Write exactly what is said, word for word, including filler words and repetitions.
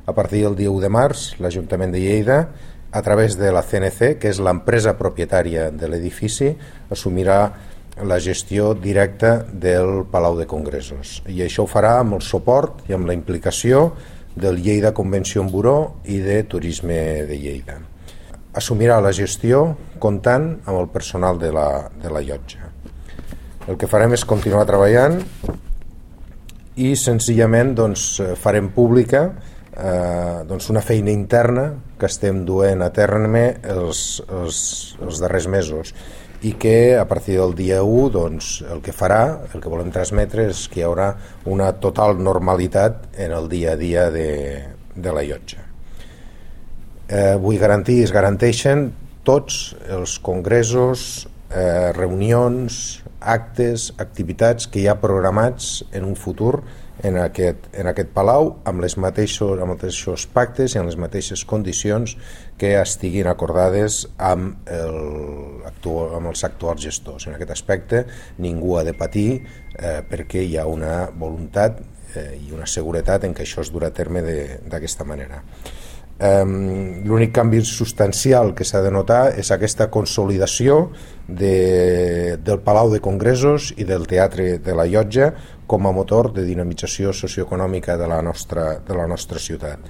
a partir del dia u de març, l'Ajuntament de Lleida, a través de la C N C, que és l'empresa propietària de l'edifici, assumirà la gestió directa del Palau de Congressos. I això ho farà amb el suport i amb la implicació del Lleida Convention Bureau i de Turisme de Lleida. Assumirà la gestió comptant amb el personal de la, de la llotja. El que farem és continuar treballant i senzillament doncs, farem pública eh, doncs una feina interna que estem duent a terme els, els, els darrers mesos i que a partir del dia u doncs, el que farà, el que volem transmetre és que hi haurà una total normalitat en el dia a dia de, de la llotja. Eh, vull garantir, es garanteixen tots els congressos, eh, reunions, actes, activitats que hi ha programats en un futur en aquest, en aquest palau amb les mateixos, amb els mateixos pactes i amb les mateixes condicions que estiguin acordades amb, el, amb els actuals gestors. En aquest aspecte ningú ha de patir eh, perquè hi ha una voluntat eh, i una seguretat en què això es durà a terme d'aquesta manera. Um, l'únic canvi substancial que s'ha de notar és aquesta consolidació de, del Palau de Congressos i del Teatre de la Llotja com a motor de dinamització socioeconòmica de la nostra, de la nostra ciutat.